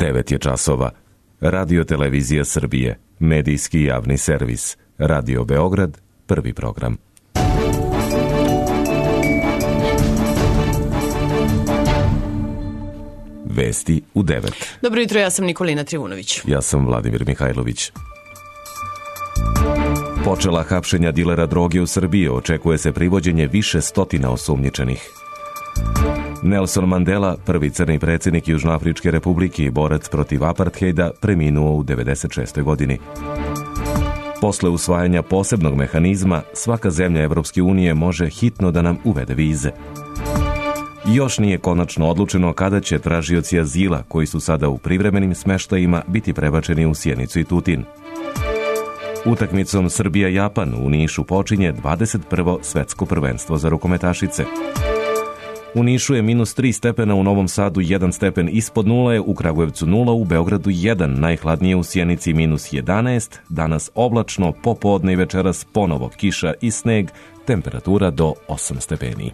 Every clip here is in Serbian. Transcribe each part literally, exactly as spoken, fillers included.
devet je časova. Radio Televizija Srbije, medijski javni servis. Radio Beograd, prvi program. Vesti u devet. Dobro jutro, ja sam Nikolina Trivunović. Ja sam Vladimir Mihajlović. Počela hapšenja dilera droge u Srbiji, očekuje se privođenje više stotina osumnjičenih. Nelson Mandela, prvi crni predsjednik Južnoafričke republike i borac protiv aparthejda, preminuo u devedeset šestoj godini. Posle usvajanja posebnog mehanizma, svaka zemlja Evropske unije može hitno da nam uvede vize. Još nije konačno odlučeno kada će tražioci azila, koji su sada u privremenim smeštajima, biti prebačeni u Sjenicu i Tutin. Utakmicom Srbija-Japan u Nišu počinje dvadeset prvo svetsko prvenstvo za rukometašice. U Nišu je minus tri stepena, u Novom Sadu jedan stepen ispod nule, u Kragujevcu nula, u Beogradu jedan, najhladnije u Sjenici minus jedanaest, danas oblačno, popodne i večeras ponovo kiša i sneg, temperatura do osam stepeni.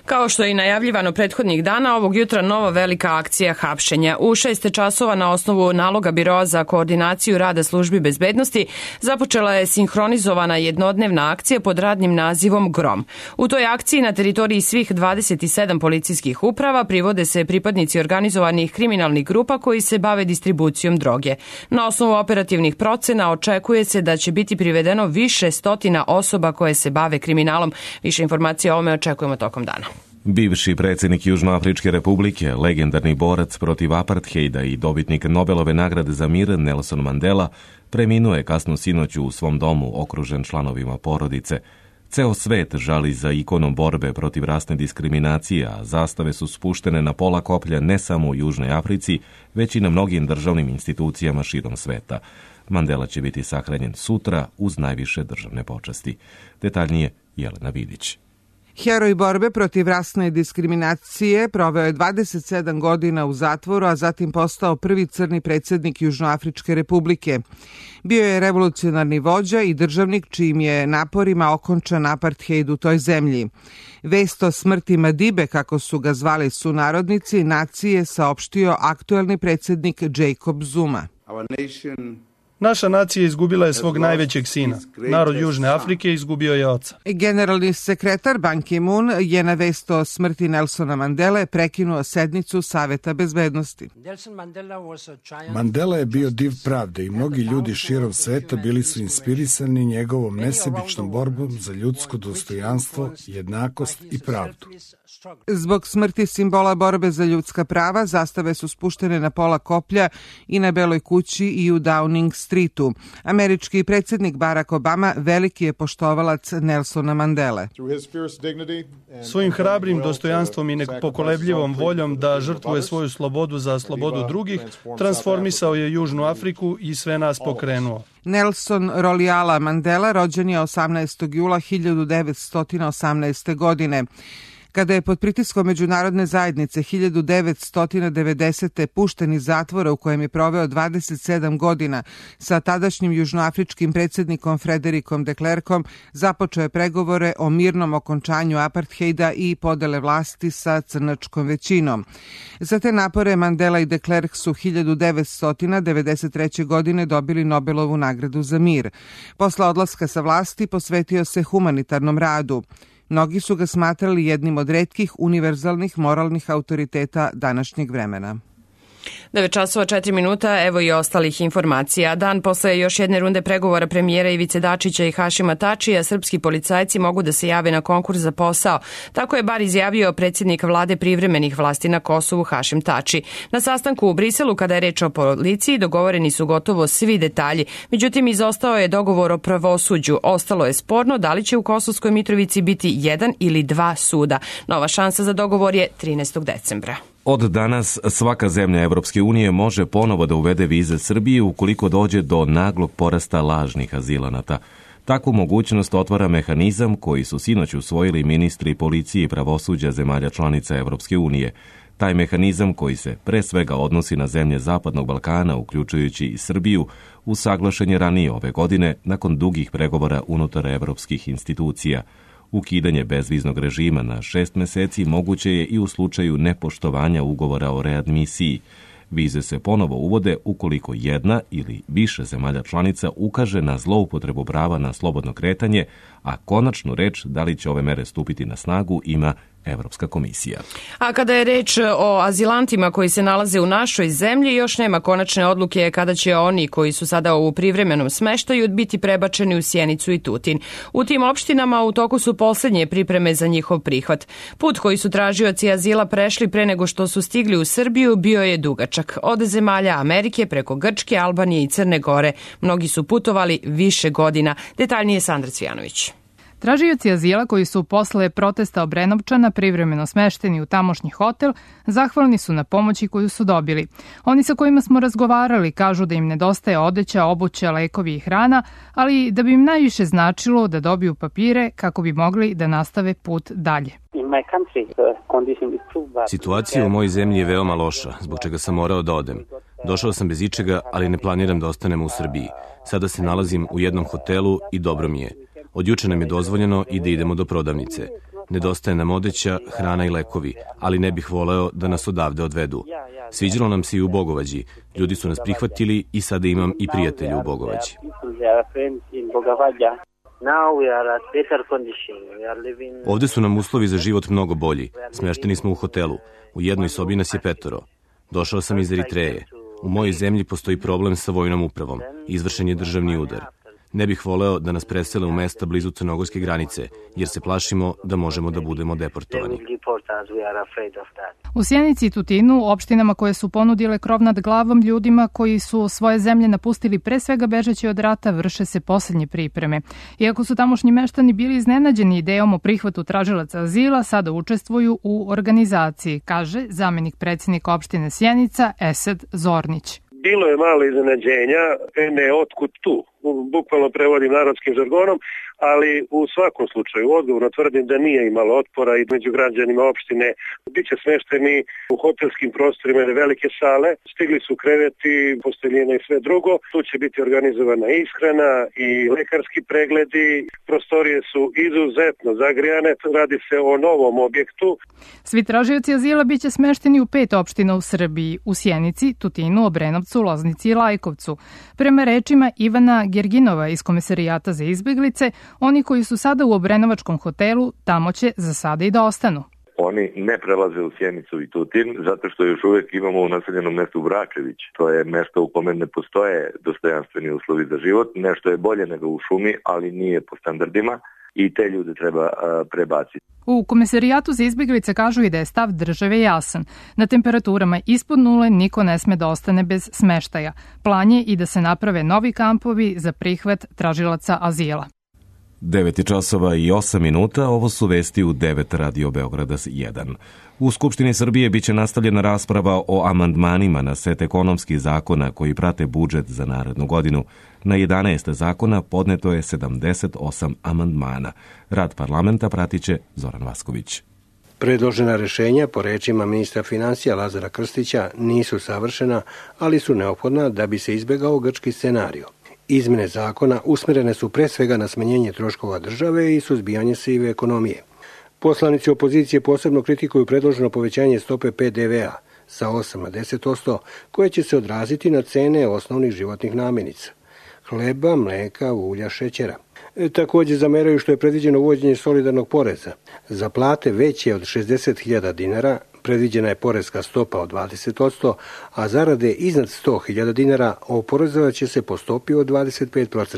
Kao što je i najavljivano prethodnih dana, ovog jutra nova velika akcija hapšenja. U šest časova na osnovu naloga Biroa za koordinaciju rada službi bezbednosti započela je sinhronizovana jednodnevna akcija pod radnim nazivom Grom. U toj akciji na teritoriji svih dvadeset sedam policijskih uprava privode se pripadnici organizovanih kriminalnih grupa koji se bave distribucijom droge. Na osnovu operativnih procena očekuje se da će biti privedeno više stotina osoba koje se bave kriminalom. Više informacija o ovome očekujemo tokom dana. Bivši predsjednik Južnoafričke republike, legendarni borac protiv aparthejda i dobitnik Nobelove nagrade za mir Nelson Mandela, preminuo je kasno sinoć u svom domu okružen članovima porodice. Ceo svet žali za ikonom borbe protiv rasne diskriminacije, a zastave su spuštene na pola koplja ne samo u Južnoj Africi, već i na mnogim državnim institucijama širom sveta. Mandela će biti sahranjen sutra uz najviše državne počasti. Detaljnije Jelena Vidić. Heroj borbe protiv rasne diskriminacije proveo je dvadeset sedam godina u zatvoru, a zatim postao prvi crni predsjednik Južnoafričke republike. Bio je revolucionarni vođa i državnik čijim je naporima okončan aparthejd u toj zemlji. Vest o smrti Madibe, kako su ga zvali sunarodnici, nacije saopštio aktuelni predsjednik Jacob Zuma. Naša nacija izgubila je svog najvećeg sina. Narod Južne Afrike izgubio je oca. Generalni sekretar Ban Ki-moon je na vest o smrti Nelsona Mandele prekinuo sednicu Saveta bezbednosti. Mandela je bio div pravde i mnogi ljudi širom sveta bili su inspirisani njegovom nesebičnom borbom za ljudsko dostojanstvo, jednakost i pravdu. Zbog smrti simbola borbe za ljudska prava, zastave su spuštene na pola koplja i na Beloj kući i u Downing Streetu. Američki predsjednik Barack Obama veliki je poštovalac Nelsona Mandele. Svojim hrabrim dostojanstvom i nepokolebljivom voljom da žrtvuje svoju slobodu za slobodu drugih, transformisao je Južnu Afriku i sve nas pokrenuo. Nelson Rolihlahla Mandela rođen je osamnaestog jula hiljadu devetsto osamnaeste. godine. Kada je pod pritiskom međunarodne zajednice hiljadu devetsto devedesete. pušten iz zatvora u kojem je proveo dvadeset sedam godina sa tadašnjim južnoafričkim predsjednikom Frederikom de Klerkom, započeo je pregovore o mirnom okončanju aparthejda i podele vlasti sa crnačkom većinom. Za te napore Mandela i de Klerk su hiljadu devetsto devedeset treće. godine dobili Nobelovu nagradu za mir. Posle odlaska sa vlasti posvetio se humanitarnom radu. Mnogi su ga smatrali jednim od retkih univerzalnih moralnih autoriteta današnjeg vremena. devet časova četiri minuta, evo i ostalih informacija. Dan posle još jedne runde pregovora premijera Ivice Dačića i Hašima Tačija, srpski policajci mogu da se jave na konkurs za posao. Tako je bar izjavio predsjednik vlade privremenih vlasti na Kosovu Hašim Tači. Na sastanku u Briselu, kada je reč o policiji, dogovoreni su gotovo svi detalji. Međutim, izostao je dogovor o pravosuđu. Ostalo je sporno da li će u Kosovskoj Mitrovici biti jedan ili dva suda. Nova šansa za dogovor je trinaestog decembra. Od danas svaka zemlja Evropske unije može ponovo da uvede vize Srbiji ukoliko dođe do naglog porasta lažnih azilanata. Takvu mogućnost otvara mehanizam koji su sinoć usvojili ministri policije i pravosuđa zemalja članica Evropske unije. Taj mehanizam, koji se pre svega odnosi na zemlje Zapadnog Balkana, uključujući i Srbiju, usaglašen je ranije ove godine nakon dugih pregovora unutar evropskih institucija. Ukidanje bezviznog režima na šest meseci moguće je i u slučaju nepoštovanja ugovora o readmisiji. Vize se ponovo uvode ukoliko jedna ili više zemalja članica ukaže na zloupotrebu prava na slobodno kretanje, a konačnu reč da li će ove mere stupiti na snagu ima Evropska komisija. A kada je reč o azilantima koji se nalaze u našoj zemlji, još nema konačne odluke kada će oni koji su sada u privremenom smeštaju biti prebačeni u Sjenicu i Tutin. U tim opštinama u toku su poslednje pripreme za njihov prihvat. Put koji su tražioci azila prešli pre nego što su stigli u Srbiju bio je dugačak. Od zemalja Amerike preko Grčke, Albanije i Crne Gore. Mnogi su putovali više godina. Detaljnije Sandra Cvijanović. Tražioci azila koji su posle protesta Obrenovčana privremeno smešteni u tamošnji hotel, zahvalni su na pomoći koju su dobili. Oni sa kojima smo razgovarali kažu da im nedostaje odeća, obuća, lekovi i hrana, ali da bi im najviše značilo da dobiju papire kako bi mogli da nastave put dalje. Situacija u mojoj zemlji je veoma loša, zbog čega sam morao da odem. Došao sam bez ičega, ali ne planiram da ostanem u Srbiji. Sada se nalazim u jednom hotelu i dobro mi je. Od juče nam je dozvoljeno i da idemo do prodavnice. Nedostaje nam odeća, hrana i lekovi, ali ne bih voleo da nas odavde odvedu. Sviđalo nam se i u Bogovađi. Ljudi su nas prihvatili i sada imam i prijatelje u Bogovađi. Ovde su nam uslovi za život mnogo bolji. Smešteni smo u hotelu. U jednoj sobi nas je petoro. Došao sam iz Eritreje. U mojoj zemlji postoji problem sa vojnom upravom. Izvršen je državni udar. Ne bih voleo da nas presele u mesta blizu crnogorske granice, jer se plašimo da možemo da budemo deportovani. U Sjenici i Tutinu, opštinama koje su ponudile krov nad glavom ljudima koji su svoje zemlje napustili pre svega bežeći od rata, vrše se poslednje pripreme. Iako su tamošnji meštani bili iznenađeni idejom o prihvatu tražilaca azila, sada učestvuju u organizaciji, kaže zamenik predsjednika opštine Sjenica Esed Zornić. Bilo je malo iznenađenja, ne otkud tu, bukvalno prevodim narodskim žargonom, ali u svakom slučaju odgovorno tvrdim da nije imalo otpora i među građanima opštine. Biće smešteni u hotelskim prostorima ili velike sale, stigli su kreveti, posteljine i sve drugo. Tu će biti organizovana ishrana i lekarski pregledi. Prostorije su izuzetno zagrijane, radi se o novom objektu. Svi tražioci azila biće smešteni u pet opština u Srbiji, u Sjenici, Tutinu, Obrenovcu, Loznici i Lajkovcu. Prema rečima Ivana Gerginova iz Komesarijata za izbeglice, oni koji su sada u Obrenovačkom hotelu, tamo će za sada i da ostanu. Oni ne prelaze u Sjenicu i Tutin, zato što još uvek imamo u naseljenom mestu Vračević. To je mesto u kome ne postoje dostojanstveni uslovi za život. Nešto je bolje nego u šumi, ali nije po standardima i te ljude treba a, prebaciti. U Komesarijatu za izbeglice kažu i da je stav države jasan. Na temperaturama ispod nule niko ne sme da ostane bez smeštaja. Plan je i da se naprave novi kampovi za prihvat tražilaca azila. devet časova i osam minuta, ovo su vesti u devet Radio Beograda jedan. U Skupštini Srbije biće nastavljena rasprava o amandmanima na set ekonomskih zakona koji prate budžet za narednu godinu. Na jedanaest zakona podneto je sedamdeset osam amandmana. Rad parlamenta pratiće Zoran Vasković. Predložena rešenja, po rečima ministra finansija Lazara Krstića, nisu savršena, ali su neophodna da bi se izbegao grčki scenario. Izmene zakona usmerene su pre svega na smanjenje troškova države i suzbijanje sive ekonomije. Poslanici opozicije posebno kritikuju predloženo povećanje stope pe de ve a sa osam na deset posto, koje će se odraziti na cene osnovnih životnih namirnica: hleba, mleka, ulja, šećera. E, takođe zameraju što je predviđeno uvođenje solidarnog poreza. Za plate veće od šezdeset hiljada dinara predviđena je poreska stopa od dvadeset posto, a zarade iznad sto hiljada dinara oporezovat će se po stopi od dvadeset pet posto.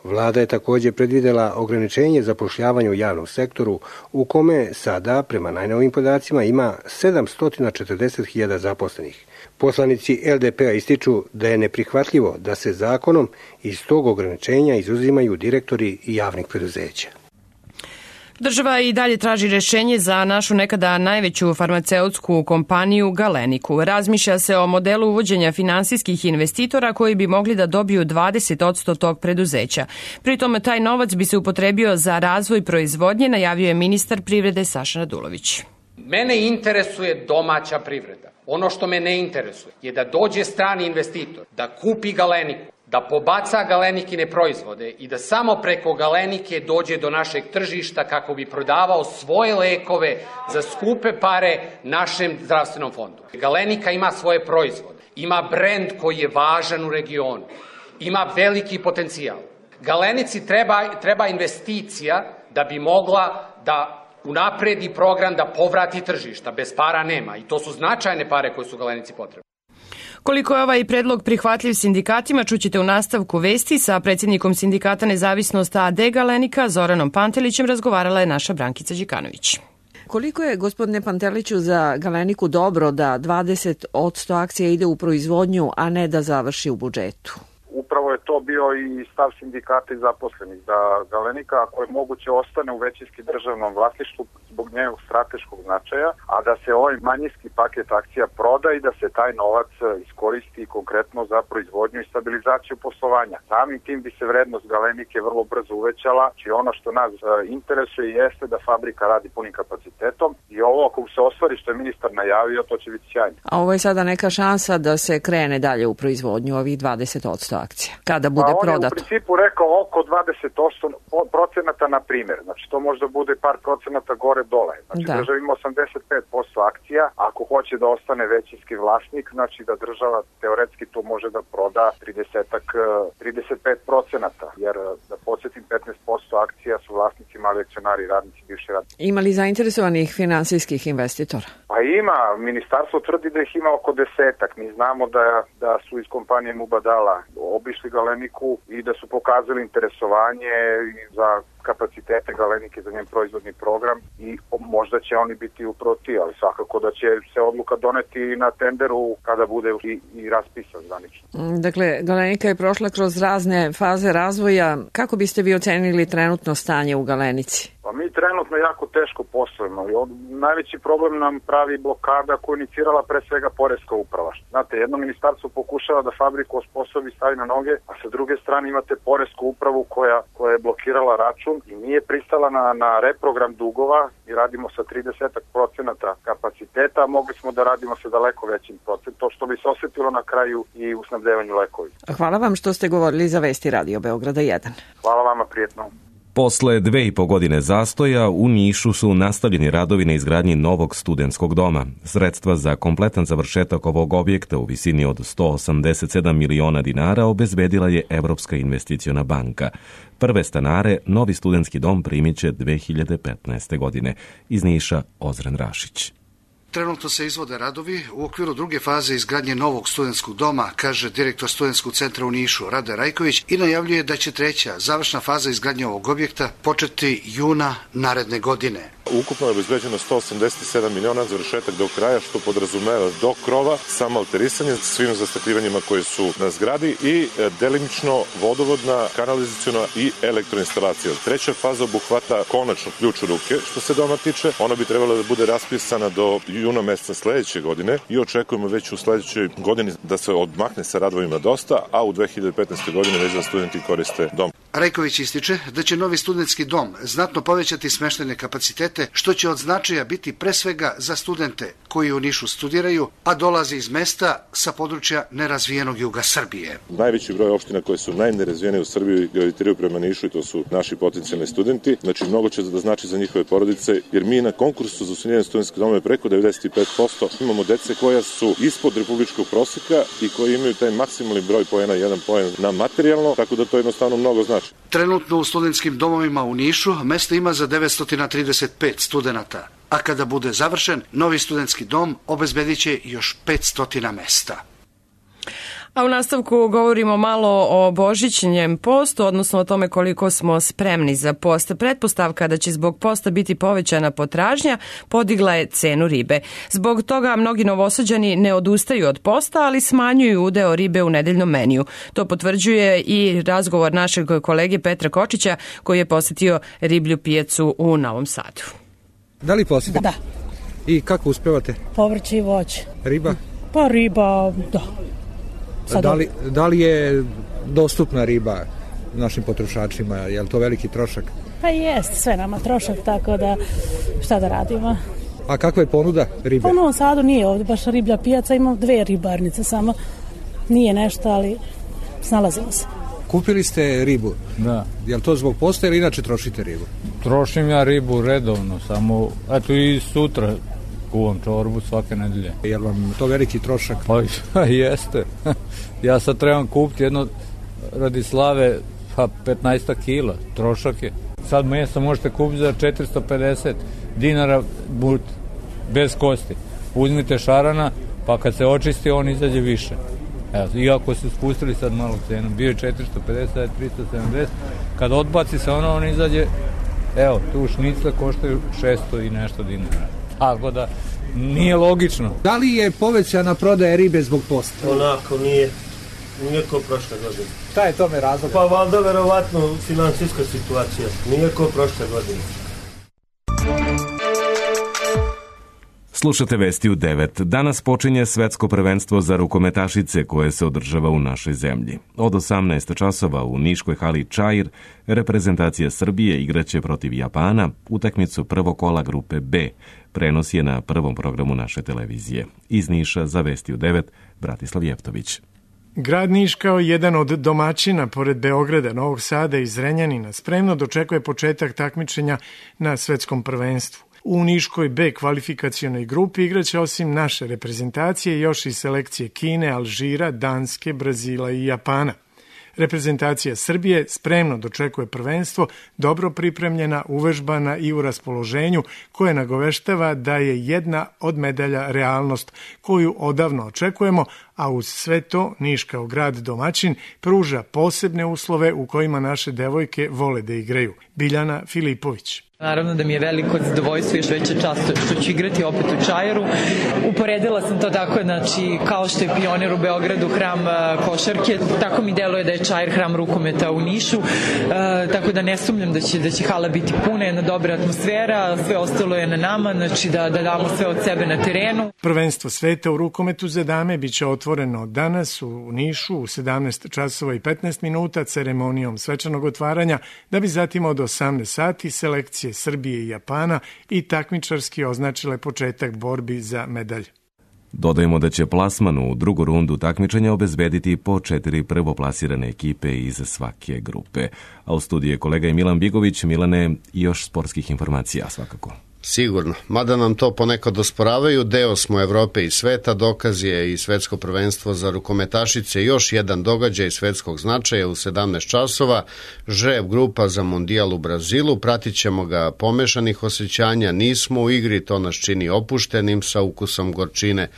Vlada je takođe predvidela ograničenje zapošljavanja u javnom sektoru, u kome sada, prema najnovim podacima, ima sedamsto četrdeset hiljada zaposlenih. Poslanici el de pe a ističu da je neprihvatljivo da se zakonom iz tog ograničenja izuzimaju direktori javnih preduzeća. Država i dalje traži rešenje za našu nekada najveću farmaceutsku kompaniju Galeniku. Razmišlja se o modelu uvođenja finansijskih investitora koji bi mogli da dobiju dvadeset posto tog preduzeća. Pritom taj novac bi se upotrebio za razvoj proizvodnje, najavio je ministar privrede Saša Radulović. Mene interesuje domaća privreda. Ono što me ne interesuje je da dođe strani investitor, da kupi Galeniku da pobaca galenikine proizvode i da samo preko galenike dođe do našeg tržišta kako bi prodavao svoje lekove za skupe pare našem zdravstvenom fondu. Galenika ima svoje proizvode, ima brend koji je važan u regionu, ima veliki potencijal. Galenici treba, treba investicija da bi mogla da unapredi program da povrati tržišta. Bez para nema i to su značajne pare koje su Galenici potrebne. Koliko je ovaj predlog prihvatljiv sindikatima, čućete u nastavku vesti. Sa predsjednikom sindikata Nezavisnost A D Galenika, Zoranom Pantelićem, razgovarala je naša Brankica Đikanović. Koliko je, gospodine Panteliću, za Galeniku dobro da dvadeset posto akcija ide u proizvodnju, a ne da završi u budžetu? Upravo je to bio i stav sindikata i zaposlenih, da Galenika, ako je moguće, ostane u većinski državnom vlasništvu zbog njegovog strateškog značaja, a da se ovaj manjinski paket akcija proda i da se taj novac iskoristi konkretno za proizvodnju i stabilizaciju poslovanja. Samim tim bi se vrednost Galenike vrlo brzo uvećala, či ono što nas interesuje jeste da fabrika radi punim kapacitetom i ovo ako se ostvari što je ministar najavio, to će biti sjajno. A ovo je sada neka šansa da se krene dalje u proizvodnju ovih dvadeset posto akcija, kada bude pa prodato? On je u principu rekao oko dvadeset procenata na primjer, znači to možda bude par procenata gore dole. Znači da. Država ima osamdeset pet posto akcija, ako hoće da ostane većinski vlasnik, znači da država teoretski to može da proda trideset pet procenata, jer da podsjetim petnaest posto akcija su vlasnici, mali akcionari, radnici, bivši radnici. Ima li zainteresovanih finansijskih investitora? Pa ima, ministarstvo tvrdi da ih ima oko desetak. Mi znamo da, da su iz kompanije Mubadala obišli Galeniku i da su pokazali interesovanje za kapacitete Galenike za njen proizvodni program i možda će oni biti uproti, ali svakako da će se odluka doneti na tenderu kada bude i, i raspisan zvanično. Dakle, Galenika je prošla kroz razne faze razvoja. Kako biste vi ocenili trenutno stanje u Galenici? Pa mi trenutno jako teško poslujemo. Najveći problem nam pravi blokada koju inicirala pre svega poreska uprava. Znate, jedno ministarstvo pokušava da fabriku osposobi, stavi na noge, a sa druge strane imate poresku upravu koja, koja je blokirala račun i nije pristala na, na reprogram dugova i radimo sa trideset procenata kapaciteta, a mogli smo da radimo sa daleko većim procentom, što bi se osjetilo na kraju i u snabdevanju lekovi. Hvala vam što ste govorili za Vesti Radio Beograda jedan. Hvala vama, prijetno. Posle dve i po godine zastoja u Nišu su nastavljeni radovi na izgradnji novog studentskog doma. Sredstva za kompletan završetak ovog objekta u visini od sto osamdeset sedam miliona dinara obezbedila je Evropska investiciona banka. Prve stanare novi studentski dom primit će dve hiljade petnaeste. godine. Iz Niša Ozren Rašić. Trenutno se izvode radovi u okviru druge faze izgradnje novog studentskog doma, kaže direktor Studentskog centra u Nišu Rade Rajković i najavljuje da će treća završna faza izgradnje ovog objekta početi juna naredne godine. Ukupno je obezbeđeno sto osamdeset sedam miliona završetak do kraja, što podrazumeva do krova, samo alterisanje svim zastakljivanjima koje su na zgradi i delimično vodovodna, kanalizaciona i elektroinstalacija. Treća faza obuhvata konačno ključ u ruke. Što se doma tiče, ona bi trebala da bude raspisana do juna meseca sledeće godine i očekujemo već u sledećoj godini da se odmakne sa radovima dosta, a u dve hiljade petnaeste. godine već da studenti koriste dom. Rajković ističe da će novi studentski dom znatno povećati smeštajne kapacitete, što će od značaja biti pre svega za studente koji u Nišu studiraju, a dolaze iz mesta sa područja nerazvijenog juga Srbije. Najveći broj opština koje su najnerazvijenije u Srbiji gravitiraju prema Nišu i to su naši potencijalni studenti. Znači, mnogo će da znači za njihove porodice, jer mi na konkursu za osnivanje studentskog doma preko devedeset pet posto imamo dece koja su ispod republičkog proseka i koji imaju taj maksimalni broj poena, jedan poen na materijalno, tako da to jednostavno mnogo znači. Trenutno u studentskim domovima u Nišu mesta ima za devetsto trideset pet studenata, a kada bude završen, novi studentski dom obezbedit će još petsto mesta. A u nastavku govorimo malo o božićnjem postu, odnosno o tome koliko smo spremni za post. Pretpostavka da će zbog posta biti povećana potražnja podigla je cenu ribe. Zbog toga mnogi Novosađani ne odustaju od posta, ali smanjuju udeo ribe u nedeljnom meniju. To potvrđuje i razgovor našeg kolege Petra Kočića koji je posjetio riblju pijacu u Novom Sadu. Da li posjetite? Da. I kako uspevate? Povrće i voće. Riba? Pa riba, da. Da li, da li je dostupna riba našim potrošačima? Je li to veliki trošak? Pa jest, sve nama trošak, tako da šta da radimo. A kakva je ponuda ribe? Pa u Novom Sadu nije ovdje baš riblja pijaca, imamo dve ribarnice samo. Nije nešto, ali snalazimo se. Kupili ste ribu? Da. Je li to zbog posta ili inače trošite ribu? Trošim ja ribu redovno, samo, eto i sutra kuvam čorbu svake nedelje. Je li vam to veliki trošak? Pa jeste. Ja sad trebam kupiti jedno radi slave, pa petnaest kila, trošak je. Sad meso možete kupiti za četiristo pedeset dinara but, bez kosti. Uzmite šarana, pa kad se očisti, on izađe više. Evo, iako su spustili sad malo cenu, bio je četiristo pedeset, sad je tristo sedamdeset, kad odbaci se ono, on izađe, evo, tu šnicle koštaju šesto i nešto dinara. Tako da, nije logično. Da li je povećana prodaja ribe zbog posta? Onako, nije. Nije ko prošle godine. Šta je tome razlog? Pa valjda verovatno finansijska situacija. Nije ko prošle godine. Slušate Vesti u devet. Danas počinje svetsko prvenstvo za rukometašice koje se održava u našoj zemlji. Od osamnaest časova u niškoj hali Čair reprezentacija Srbije igraće protiv Japana utakmicu prvog kola grupe B. Prenos je na prvom programu naše televizije. Iz Niša za Vesti u devet, Bratislav Jeftović. Grad Niš kao jedan od domaćina pored Beograda, Novog Sada i Zrenjanina spremno dočekuje početak takmičenja na svetskom prvenstvu. U Niškoj B kvalifikacionoj grupi igraće osim naše reprezentacije još i selekcije Kine, Alžira, Danske, Brazila i Japana. Reprezentacija Srbije spremno dočekuje prvenstvo, dobro pripremljena, uvežbana i u raspoloženju, koje nagoveštava da je jedna od medalja realnost koju odavno očekujemo, a uz sve to Niš kao grad domaćin pruža posebne uslove u kojima naše devojke vole da igraju. Biljana Filipović. Naravno da mi je veliko zadovoljstvo i još veća čast što ću igrati opet u Čairu. Uporedila sam to tako, znači, kao što je Pionir u Beogradu hram košarke, tako mi deluje da je Čair hram rukometa u Nišu, e, tako da ne sumnjam da će, da će hala biti puna, jedna dobra atmosfera, sve ostalo je na nama, znači da, da damo sve od sebe na terenu. Prvenstvo sveta u rukometu za dame biće otvoreno danas u Nišu u sedamnaest časova i petnaest minuta ceremonijom svečanog otvaranja, da bi zatim od osamnaest sati selekcije Srbije i Japana i takmičarski označile početak borbi za medalje. Dodajemo da će plasman u drugu rundu takmičenja obezbediti po četiri prvoplasirane ekipe iz svake grupe. A u studiju je kolega Milan Bigović. Milane, još sportskih informacija svakako. Sigurno, mada nam to ponekad osporavaju, deo smo Evrope i sveta, dokaz je i svetsko prvenstvo za rukometašice, još jedan događaj svetskog značaja u sedamnaest časova, žreb grupa za mondijal u Brazilu, pratit ćemo ga pomešanih osjećanja, nismo u igri, to nas čini opuštenim sa ukusom gorčine.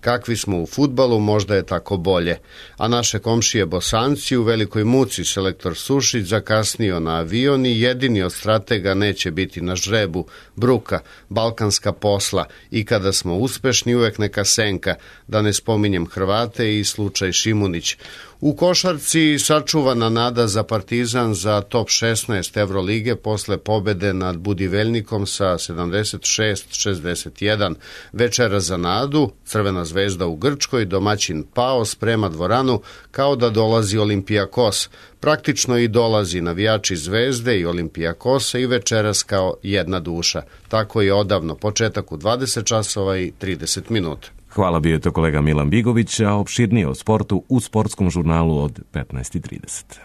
Kakvi smo u fudbalu, možda je tako bolje. A naše komšije Bosanci u velikoj muci, selektor Sušić zakasnio na avion i jedini od stratega neće biti na žrebu. Bruka, balkanska posla i kada smo uspešni uvek neka senka, da ne spominjem Hrvate i slučaj Šimunić. U košarci sačuvana nada za Partizan za top šesnaest Evrolige posle pobede nad Budivelnikom sa sedamdeset šest šezdeset jedan. Večera za nadu, Crvena zvezda u Grčkoj, domaćin Pao sprema dvoranu kao da dolazi Olimpijakos. Praktično i dolazi navijači Zvezde i Olimpijakosa i večeras kao jedna duša. Tako je odavno, početak u dvadeset časova i trideset minuta. Hvala, bio je to kolega Milan Bigović, a opširnije o sportu u sportskom žurnalu od petnaest i trideset.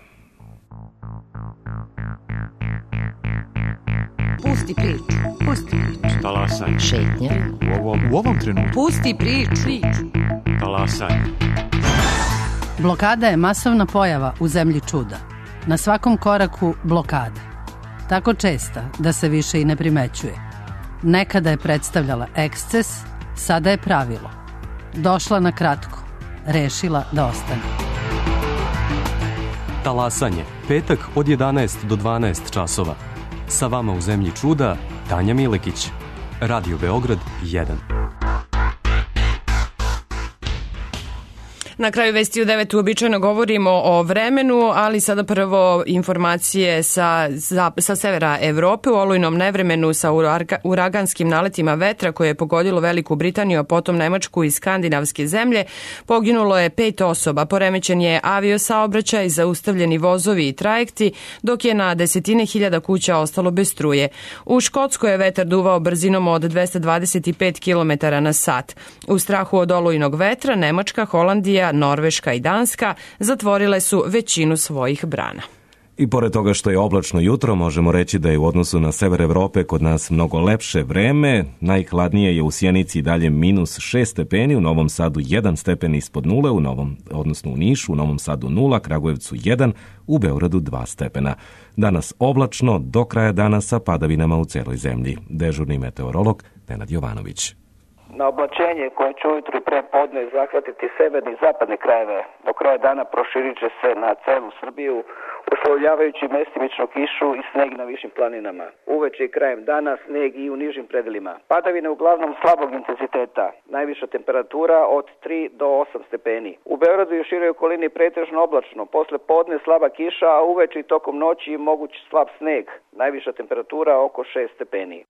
Pusti priču, pusti priču. Talasaj. Šetnja. U ovom, u ovom trenutku. Pusti priču. Talasaj. Blokada je masovna pojava u zemlji čuda. Na svakom koraku blokada. Tako česta da se više i ne primećuje. Nekada je predstavljala eksces, sada je pravilo. Došla na kratko, rešila da ostane. Talasanje, petak od jedanaest do dvanaest časova. Sa vama u zemlji čuda, Tanja Milekić. Radio Beograd jedan. Na kraju Vesti u devet uobičajeno govorimo o vremenu, ali sada prvo informacije sa, za, sa severa Evrope. U olujnom nevremenu sa uraganskim naletima vetra koje je pogodilo Veliku Britaniju, a potom Nemačku i skandinavske zemlje, poginulo je pet osoba. Poremećen je aviosaobraćaj, zaustavljeni vozovi i trajekti, dok je na desetine hiljada kuća ostalo bez struje. U Škotskoj je vetar duvao brzinom od dvesta dvadeset pet kilometara na sat. U strahu od olujnog vetra Nemačka, Holandija, Norveška i Danska zatvorile su većinu svojih brana. I pored toga što je oblačno jutro, možemo reći da je u odnosu na sever Evrope kod nas mnogo lepše vreme. Najhladnije je u Sjenici dalje minus šest stepeni, u Novom Sadu jedan stepen ispod nule, u Novom, odnosno u Nišu, u Novom Sadu nula, Kragujevcu jedan, u Beogradu dva stepena. Danas oblačno, do kraja dana sa padavinama u celoj zemlji. Dežurni meteorolog Nenad Jovanović. Na oblačenje koje će ujutru i pre podne zahvatiti severne i zapadne krajeve, do kraja dana proširit će se na celu Srbiju, uslovljavajući mestimično kišu i sneg na višim planinama. Uveče i krajem dana sneg i u nižim predelima. Padavine uglavnom slabog intenziteta, najviša temperatura od tri do osam stepeni. U Beogradu i u široj okolini pretežno oblačno, posle podne slaba kiša, a uveče i tokom noći moguć slab sneg, najviša temperatura oko šest stepeni.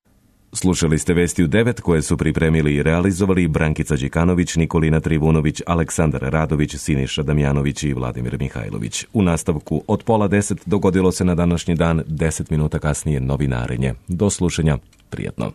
Slušali ste vesti u devet koje su pripremili i realizovali Brankica Đikanović, Nikolina Trivunović, Aleksandar Radović, Siniša Damjanović i Vladimir Mihajlović. U nastavku od pola deset dogodilo se na današnji dan, deset minuta kasnije novinarenje. Do slušanja, prijatno.